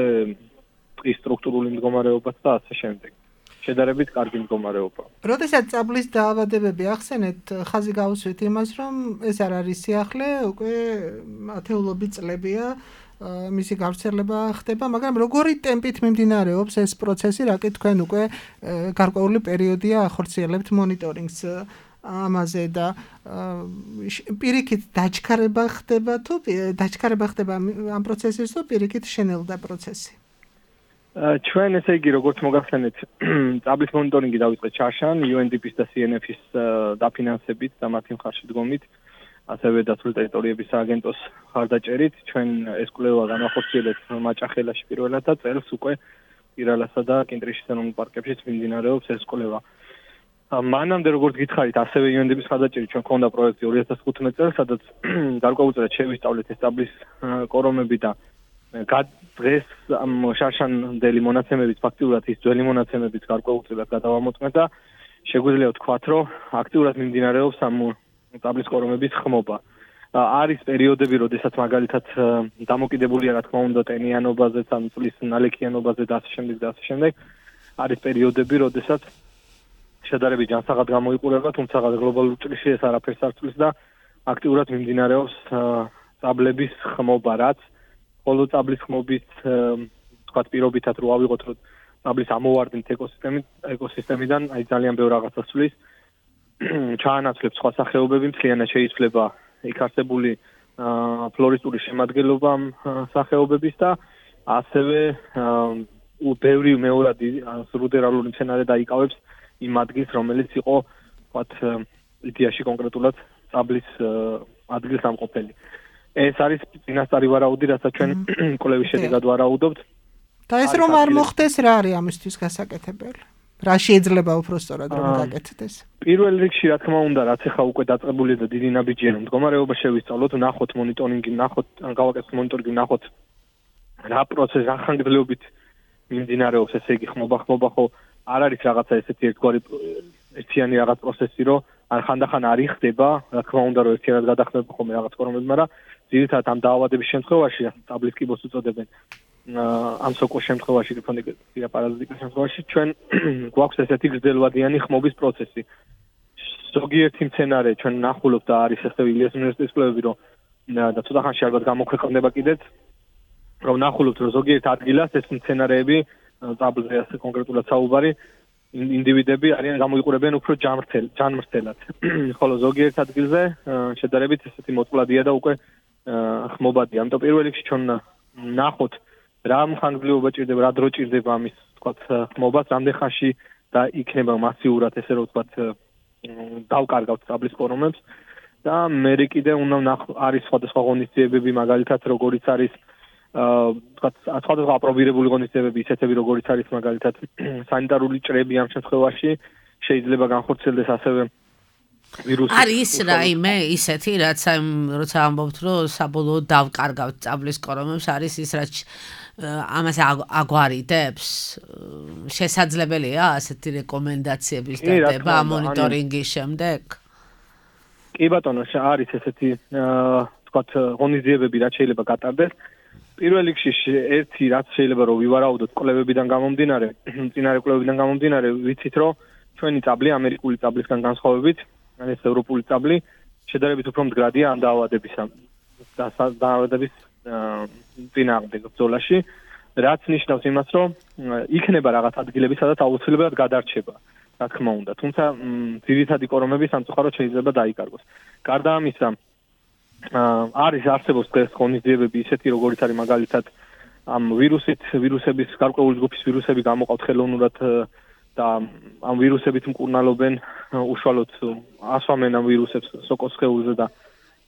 ტყის სტრუქტურული მდგომარეობაც და ასე შემდეგ. შედარებით კარგი მდგომარეობა. როდესაც წაბლის დაავადებები ახსენეთ, ხაზი გაუსვით იმას, რომ ეს არ არის სიახლე, უკვე ათეულობით წლებია მისი გავრცელება ხდება, მაგრამ როგორი ტემპით მიმდინარეობს ეს პროცესი, რაკეთ თქვენ უკვე გარკვეული პერიოდია ახორციელებთ მონიტორინგს ამაზე და პირიქით დაჩქარება ხდება ამ პროცესის თუ პირიქით შენელდა პროცესი? ჩვენ ესე იგი როგორც მოგახსენეთ, წაბლის მონიტორინგი დავიწყეთ შარშან, UNDP-ის და CNF-ის დაფინანსებით და მათი მხარშედგომით, ასევე დაცული ტერიტორიების სააგენტოს მხარდაჭერით, ჩვენ ეს კვლევა განახორციელებთ მაჭახელაში პირველად და წელს უკვე ტირალასა და კინტრიშის ეროვნულ პარკებშიც მიმდინარეობს ეს კვლევა. მანამდე როგორც გითხარით, ასევე UNDP-ის მხარდაჭერით ჩვენ ქონდა პროექტი 2015 წელს, სადაც გარკვეულწილად შევისწავლეთ ეს წაბლის კორომები და დღეს ამ შარშანდელი მონაცემებით ფაქტიურად ის ძველი მონაცემებით გარკვეულწილად გადავამოწმეთ და შეგვიძლია ვთქვათ, რომ აქტიურად მიმდინარეობს ამ წაბლის კორომების ხმობა. არის პერიოდები, როდესაც მაგალითად დამოკიდებულია რა თქმა უნდა ტენიანობაზე, ან წლის ნალექიანობაზე და ასე შემდეგ. არის პერიოდები, როდესაც შედარებით ჯანსაღად გამოიყურება, თუმცა გლობალურ ჭრიში ეს არაფერს არ ცვლის და აკტიურად მიმდინარეობს წაბლების ხმობა, რაც ხოლო წაბლის ხმობის თქვათ პირობითად რო ავიღოთ, რომ წაბლის ამოვარდნით ეკოსისტემიდან აი ძალიან ბევრ რაღაცას ცვლის. ჩაანაცვლებს სხვა სახეობები, მთლიანად შეიცვლება იქ არსებული ფლორისტული შემადგენლობა სახეობების და ასევე ბევრი მეორადი რუდერალური მცენარე დაიკავებს იმ ადგილს, რომელიც იყო ვთქვათ იდეაში კონკრეტულად წაბლის ადგილსამყოფელი. ეს არის წინასწარი ვარაუდი, რასაც ჩვენ კვლევის შედეგად ვარაუდობთ. და ეს რომ არ მოხდეს, რა არის ამისთვის გასაკეთებელი? რა შეიძლება უпростоრად რომ გაკეთდეს? პირველ რიგში რა თქმა უნდა, რაც ახლა უკვე დაწყებულია და დიდი ნაბიჯია, რომ მდგომარეობა შევისწავლოთ, ვნახოთ მონიტორინგი, გავაკეთოთ მონიტორინგი, ვნახოთ რა პროცესი, რა ხანგრძლივობით მიმდინარეობს, ესე იგი ხმობა ხო არ არის რაღაცა ესეთი ერთგვარი ერთიანი რაღაც პროცესი, რომ ან ხანდახან არ იხდება, რა თქმა უნდა, რომ ერთიანად გადახდება ხოლმე რაღაც ფორმები, მაგრამ ძირითადად ამ დაავადების შემთხვევაში, სტაბლის კიბოს უწოდებენ, ამ სოკოს შემთხვევაში, რიფონიკა პარაზიტიკის შემთხვევაში, ჩვენ გვაქვს ესეთი გრძელვადიანი ხმობის პროცესი. ზოგიერთი მცენარე ჩვენ ნახულობთ და არის ასევე ილიას უნივერსიტეტის კვლევები, რომ და ცოტა ხანში ალბათ გამოქვეყნდება კიდეც, რომ ნახულობთ, რომ ზოგიერთ ადგილას ეს მცენარეები, სტაბლზე ასე კონკრეტულად საუბარი, ინდივიდები არიან გამოიყურებიან უფრო ჯანმრთელად. ხოლო ზოგიერთ ადგილზე შედარებით ესეთი მოწყვლადია და უკვე ხმობადია. ამიტომ პირველ რიგში ჩვენ ნახოთ რა მხანგრძლივობა ჭირდება, რა დრო ჭირდება ამის, თქვათ, ხმობას, რამდენ ხანში და იქნება მასიურად ესე რომ თქვათ დავკარგავთ სტაბლის ფორმებს და მე კიდე უნდა არის სხვადასხვა ღონისძიებები, მაგალითად როგორიც არის თქვათ სხვადასხვა აპრობირებული ღონისძიებები, ისეთები როგორიც არის მაგალითად სანიტარული ჭრები ამ შემთხვევაში შეიძლება განხორციელდეს ასევე ვირუსი. არის რაიმე ისეთი, რაც როცა ამბობთ, რომ საბოლოოდ დავკარგავთ სტაბლის ფორმებს, არის ის, რაც ამას აგვარიდებს? შესაძლებელია ასეთი რეკომენდაციების დადება მონიტორინგის შემდეგ? კი ბატონო, არის ესეთი თქვათ ღონისძიებები, რაც შეიძლება გატარდეს. პირველ რიგში ერთი რაც შეიძლება რომ ვივარაუდოთ კვლევებიდან გამომდინარე, წინარე კვლევებიდან გამომდინარე, ვიცით რომ ჩვენი სტაბლი ამერიკული სტაბლისგან განსხვავებით, ან ეს ევროპული სტაბლი შედარებით უფრო მდგრადია ამ დაავადების წინააღმდეგ ბრძოლაში, რაც ნიშნავს იმას, რომ იქნება რაღაც ადგილები, სადაც აუცილებლად გადარჩება, რა თქმა უნდა. თუმცა ძირითადი კორომები სამწუხაროდ შეიძლება დაიკარგოს. გარდა ამისა, არსებობს დღეს ღონისძიებები ისეთი, როგორიც არის მაგალითად ამ ვირუსების გარკვეული ჯგუფის ვირუსები გამოყავთ ხელოვნურად და ამ ვირუსებით მკურნალობენ, უშუალოდ ასვამენ ამ ვირუსებს სოკოს სხეულზე და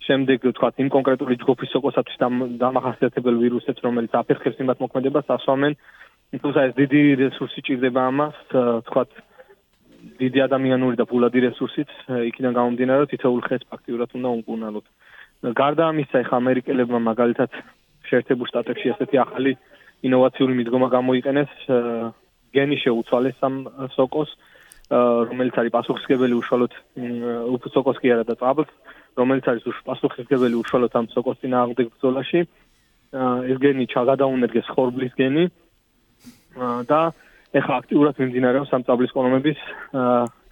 შემდეგ თქვათ იმ კონკრეტული ჯგუფის სოკოსათვის დამახასიათებელ ვირუსებს, რომელიც აფერხებს იმათ მოქმედებას, ასვამენ. თუმცა ეს დიდი რესურსი ჭირდება ამას, თქვათ დიდი ადამიანური და ფულადი რესურსით, იქიდან გამომდინარე, თითოეულ ხეს ფაქტიურად უნდა უმკურნალოთ. გარდა ამისა, ახლა ამერიკელებმა მაგალითად შეერთებულ შტატებში ესეთი ახალი ინოვაციური მიდგომა გამოიყენეს, გენი შეუცვალეს ამ სოკოს, რომელიც არის პასუხისმგებელი უშუალოდ სოკოს კი არა და სტაბლს, რომელიც არის პასუხისმგებელი უშუალოდ ამ სოკოს წინააღმდეგ ბრძოლაში. ეს გენი ჩაგადაუნერგეს ხორბლის გენი და ეხლა აქტიურად მიმდინარეობს ამ სტაბლის კორომების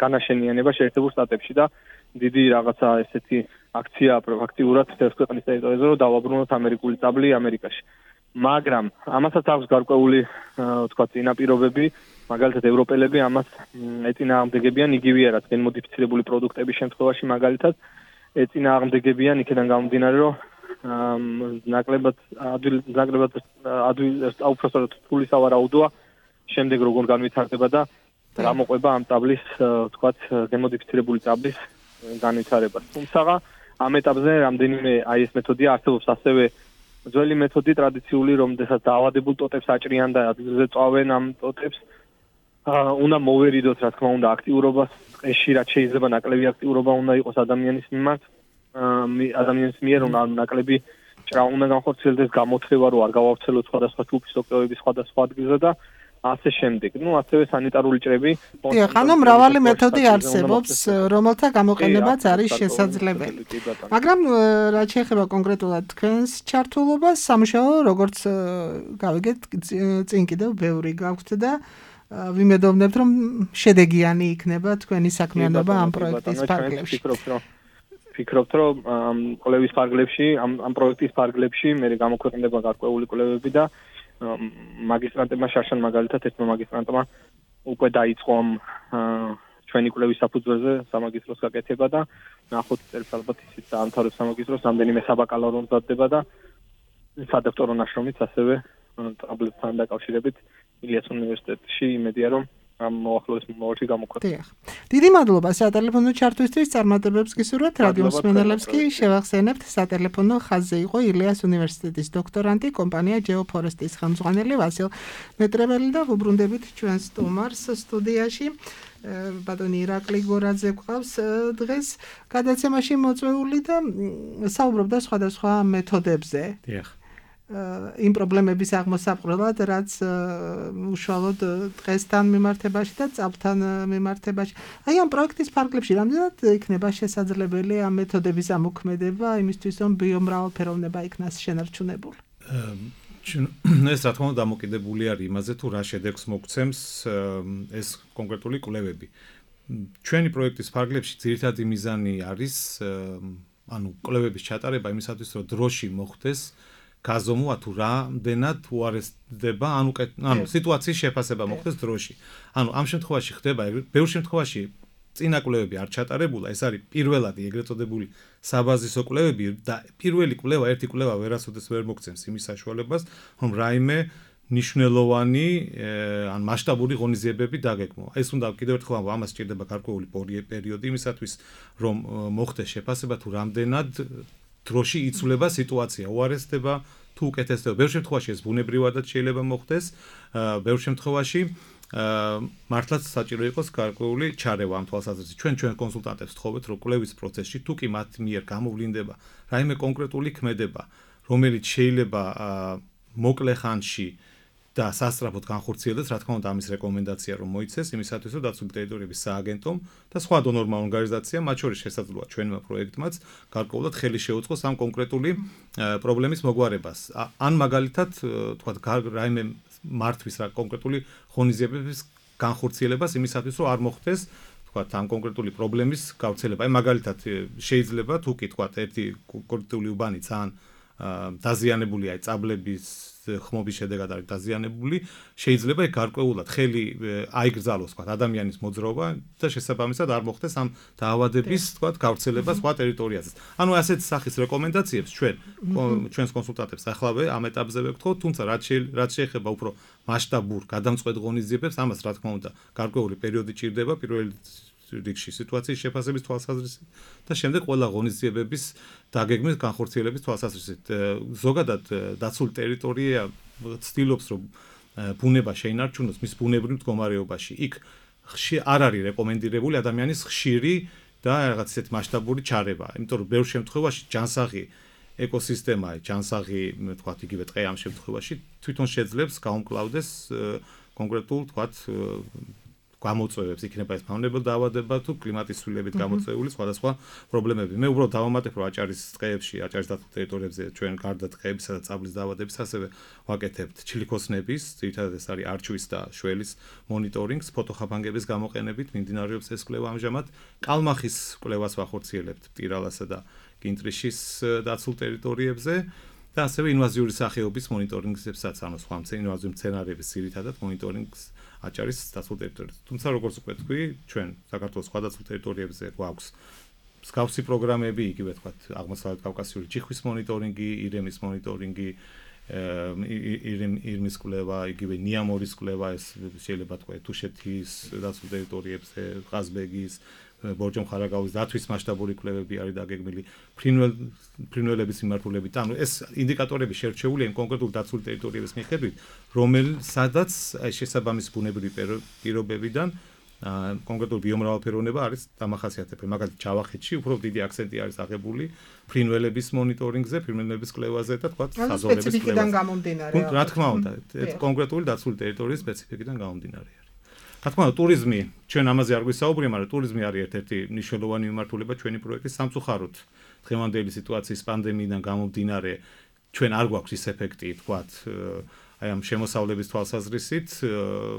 განაშენიანება შეერთებულ შტატებში და დიდი რაღაცა ესეთი აქცია აქტიურად მთელს ქვეყნის ტერიტორიაზე რომ დავაბრუნოთ ამერიკული სტაბლი ამერიკაში. მაგრამ ამასაც აქვს გარკვეული თქვა წინაპირობები, მაგალითად ევროპელები ამას ეწინააღმდეგებიან იგივე რაც გენმოდიფიცირებული პროდუქტების შემთხვევაში მაგალითად ეწინააღმდეგებიან იქიდან გამომდინარე რომ ნაკლებად უпростоროდ ფული სავარაუდოა შემდეგ როგორ განვითარდება და რა მოყვება ამ სტაბლის თქვა გენმოდიფიცირებული სტაბლის განვითარებას. თუმცა ამ ეტაპზე რამდენიმე აი ეს მეთოდია არსებობს ასევე ძველი მეთოდი ტრადიციული, რომელსაც დაავადებულ ტოტებს აჭრიან და ადგილზე წავენ ამ ტოტებს. უნდა მოვერიდოთ, რა თქმა უნდა, აქტიურობას, ტყეში რაც შეიძლება ნაკლები აქტიურობა უნდა იყოს ადამიანის მიმართ, ადამიანის მიერ უნდა ნაკლები ჭრა უნდა განხორციელდეს, გამოთხრება რომ არ გავავრცელოთ სხვადასხვა ჯგუფის სოკოების სხვადასხვა ადგილზე და ასე შემდეგ. ასევე სანიტარული ჭრები. ანუ მრავალი მეთოდი არსებობს, რომელთა გამოყენებაც არის შესაძლებელი. მაგრამ რაც შეეხება კონკრეტულად თქვენს ჩართულობას, სამუშაო როგორც გავიგეთ, წინ კიდევ ბევრი გაქვთ და ვიმედოვნებთ, რომ შედეგიანი იქნება თქვენი საქმიანობა ამ პროექტის ფარგლებში. ვფიქრობთ, რომ კვლევის ფარგლებში, ამ პროექტის ფარგლებში მე გამოქვეყნდება გარკვეული კვლევები და მაგისტრანტებმა შარშან მაგალითად ერთმა მაგისტრანტმა უკვე დაიწყო ჩვენი კვლევის საფუძველზე სამაგისტროს გაკეთება და ნახოთ წელს ალბათ ისიც დაამთავრებს სამაგისტროს, რამდენიმე საბაკალავრო მზადდება და სადოქტორო ნაშრომიც ასევე სტაბლთან დაკავშირებით ილიას უნივერსიტეტში იმედია რომ ამ მოახლოეს მომავალში გამოქვეყნდება. დიდი მადლობა სატელეფონო ჩართვისთვის, წარმატებებს გისურვებთ რადიო მსმენელებს კი შევახსენებთ სატელეფონო ხაზზე იყო ილიას უნივერსიტეტის დოქტორანტი, კომპანია Geoforest-ის ხელმძღვანელი ვასილ მეტრეველი და ვუბრუნდებით ჩვენს სტუმარს სტუდიაში. ბატონი ირაკლი გორაძე გვყავს დღეს გადაცემაში მოწვეული და საუბრობდა სხვადასხვა მეთოდებზე. დიახ. იმ პრობლემების აღმოსაყრელად, რაც უშუალოდ დღესთან მიმართებაში და წამთან მიმართებაში. აი ამ პროექტის ფარგლებში რამდენად იქნება შესაძლებელი ამ მეთოდების ამოქმედება იმისთვის, რომ ბიომრავალფეროვნება იქნას შენარჩუნებული? ეს რა თქმა უნდა დამოკიდებული არის იმაზე, თუ რა შედეგს მოგცემს ეს კონკრეტული კვლევები. ჩვენი პროექტის ფარგლებში ძირითადი მიზანი არის კვლევების ჩატარება იმისათვის, რომ დროში მოხდეს გაზომვა თუ რამდენად უარესდება, სიტუაციის შეფასება მოხდეს დროში. ამ შემთხვევაში ხდება, ბევრ შემთხვევაში წინა კვლევები არ ჩატარებულა, ეს არის პირველადი ეგრეთ წოდებული საბაზისო კვლევები და პირველი კვლევა, ერთი კვლევა ვერასოდეს ვერ მოგცემს იმის საშუალებას, რომ რაიმე ნიშნულოვანი ან მასშტაბური ღონისძიებები დაგეგმო. ეს უნდა კიდევ ერთხელ ვამბობ, ამას სჭირდება გარკვეული პერიოდი იმისათვის, რომ მოხდეს შეფასება თუ რამდენად დროში იცვლება სიტუაცია, უარესდება თუ უკეთესდება. ბევრ შემთხვევაში ეს ბუნებრივადაც შეიძლება მოხდეს, ბევრ შემთხვევაში მართლაც საჭირო იყოს გარკვეული ჩარევა ამ თვალსაზრისით. ჩვენ კონსულტანტებს ვთხოვეთ, რომ კვლევის პროცესში თუ კი მათ მიერ გამოვლინდება რაიმე კონკრეტული ქმედება, რომელიც შეიძლება მოკლე ხანში და სასწრაფოდ განხორციელდეს, რა თქმა უნდა, ამის რეკომენდაცია რომ მოიცეს, იმისათვის რომ დაცული ტერიტორიების სააგენტომ და სხვა დონორმა ორგანიზაციამ, მათ შორის შესაძლოა ჩვენმა პროექტმაც გარკვეულად ხელი შეუწყოს ამ კონკრეტული პრობლემის მოგვარებას. ან მაგალითად, თქვათ, რაიმე მართვის რა კონკრეტული ღონისძიებების განხორციელებას იმისათვის რომ არ მოხდეს, თქვათ, ამ კონკრეტული პრობლემის გავრცელება. აი მაგალითად შეიძლება თუ კი თქვათ, ერთი კონკრეტული უბანი ძალიან დაზიანებულია, აი წაბლების ხმობის შედეგად არის დაზიანებული, შეიძლება ეგ გარკვეულად ხელი აიგრძალოს, თქვათ, ადამიანის მოძრაობა და შესაბამისად არ მოხდეს ამ დაავადების, თქვათ, გავრცელება სხვა ტერიტორიაზე. ანუ ასეთ სახის რეკომენდაციებს ჩვენს კონსულტანტებს ახლავე ამ ეტაპზე ვეკითხოთ, თუმცა რაც შეეხება უფრო მასშტაბურ გადამწყვეტ ღონისძიებებს, ამას რა თქმა უნდა, გარკვეული პერიოდი ჭირდება, პირველი რიგში სიტუაციის შეფასების თვალსაზრისით და შემდეგ ყველა ღონისძიებების დაგეგმვის განხორციელების თვალსაზრისით. ზოგადად დაცული ტერიტორია ცდილობს, რომ ბუნება შეინარჩუნოს მის ბუნებრივ მდგომარეობაში. იქ არ არის რეკომენდირებული ადამიანის ხშირი და რაღაც ისეთი მასშტაბური ჩარევა, იმიტომ რომ ბევრ შემთხვევაში ჯანსაღი ეკოსისტემაა, ჯანსაღი, თქვათ, იგივე ტყე ამ შემთხვევაში თვითონ შეძლებს გაუმკლავდეს კონკრეტულ, თქვათ, გამოწვევებს, იქნება ეს ფაუნებრივი დაავადება თუ კლიმატის ცვლილებით გამოწვეული სხვადასხვა პრობლემები. მე უბრალოდ დავამატებ, რომ აჭარის ტყეებში, აჭარის დაცულ ტერიტორიებზე ჩვენ გარდა ტყეებისა და წაბლის დაავადების ასევე ვაკეთებთ ჩილიქოსნების, ძირითადად ეს არის არჩვის და შველის მონიტორინგს, ფოტოხაფანგების გამოყენებით მიმდინარეობს ეს კვლევა ამჟამად. კალმახის კვლევას ვახორციელებთ მტირალასა და კინტრიშის დაცულ ტერიტორიებზე. და ასევე ინვაზიური სახეობის მონიტორინგებსაც, ანუ სხვა ინვაზიური მცენარეების ძირითადად მონიტორინგს აჭარის დაცულ ტერიტორიებზე. თუმცა როგორც უკვე თქვი, ჩვენ საქართველოს სხვა დაცულ ტერიტორიებზე გვაქვს მსგავსი პროგრამები, იგივე თქვათ, აღმოსავლეთ კავკასიური ჩიხვის მონიტორინგი, ირემის მონიტორინგი, ირმის კვლევა, იგივე ნიამორის კვლევა, ეს შეიძლება თქვა თუშეთის დაცულ ტერიტორიებზე, ყაზბეგის, ბორჯომხარაგაულის დაცვის მასშტაბური კვლევები არის დაგეგმილი, ფრინველების მიმართულებით. ანუ ეს ინდიკატორები შერჩეულია იმ კონკრეტულ დაცული ტერიტორიების მიხედვით, რომელსაც შესაბამის ბუნებრივი პირობებიდან კონკრეტული ბიომრავალფეროვნება არის დამახასიათებელი. მაგალითად, ჯავახეთში უფრო დიდი აქცენტი არის აღებული ფრინველების მონიტორინგზე, ფრინველების კვლევაზე და თქვა საზოვრების სპეციფიკიდან გამომდინარე. რა თქმა უნდა, კონკრეტული დაცული ტერიტორიის სპეციფიკიდან გამომდინარე. რა თქმა უნდა, ტურიზმი, ჩვენ ამაზე არ გვისაუბრია, მაგრამ ტურიზმი არის ერთ-ერთი მნიშვნელოვანი მიმართულება ჩვენი პროექტის სამწუხაროდ. დღევანდელი სიტუაციის პანდემიიდან გამომდინარე, ჩვენ არ გვაქვს ის ეფექტი, თქვათ, აი ამ შემოსავლების თვალსაზრისით,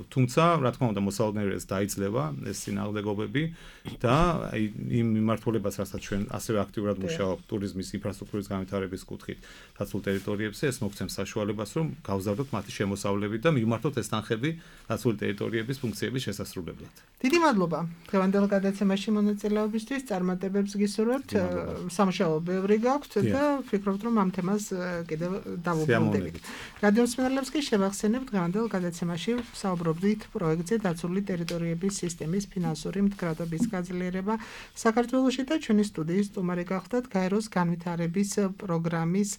თუმცა, რა თქმა უნდა, მოსალოდნელობას დაიძლება ეს წინააღმდეგობები და აი იმ მიმართულებას, რასაც ჩვენ ასევე აქტიურად მუშაობთ ტურიზმის ინფრასტრუქტურის განვითარების კუთხით დაცულ ტერიტორიებზე, ეს მოგცემს საშუალებას, რომ გავზარდოთ მათი შემოსავლები და მივმართოთ ეს თანხები დაცული ტერიტორიების ფუნქციების შესასრულებლად. დიდი მადლობა დღევანდელ გადაცემაში მონაწილეობისთვის, წარმატებებს გისურვებთ, სამუშაო ბევრი გაქვთ და ვფიქრობთ, რომ ამ თემას კიდევ დავუბრუნდებით. რადიო მსმენელებს კი შევახსენებთ, დღევანდელ გადაცემაში საუბრობდით პროექტზე დაცული ტერიტორიების სისტემის ფინანსური მდგრადობის გაძლიერება საქართველოში და ჩვენი სტუდიის სტუმარი გახლდათ გაეროს განვითარების პროგრამის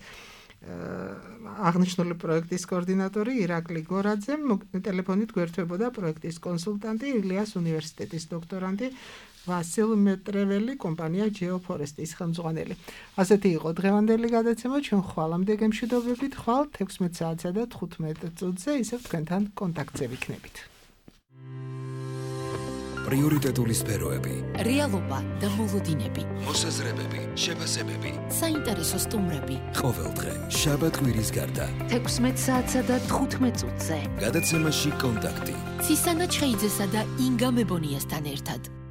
აღნიშნული პროექტის კოორდინატორი ირაკლი გორაძე, ტელეფონით გვერდებოდა პროექტის კონსულტანტი ილიას უნივერსიტეტის დოქტორანტი ვასილ მეტრეველი, კომპანია GeoForest-ის ხელმძღვანელი. ასეთი იყო დღევანდელი გადაცემა, ჩვენ ხვალამდე გემშვიდობებით, ხვალ 16 საათსა და 15 წუთზე ისევ თქვენთან კონტაქტზე ვიქნებით. პრიორიტეტული სფეროები, რეალობა და მოლოდინები, მოსაზრებები, შეფასებები, საინტერესო სტუმრები. ყოველდღე, შაბათ-კვირის გარდა. 16 საათსა და 15 წუთზე. გადაცემაში კონტაქტი. ცისანა ჩხეიძესა და ინგა მებონიასთან ერთად.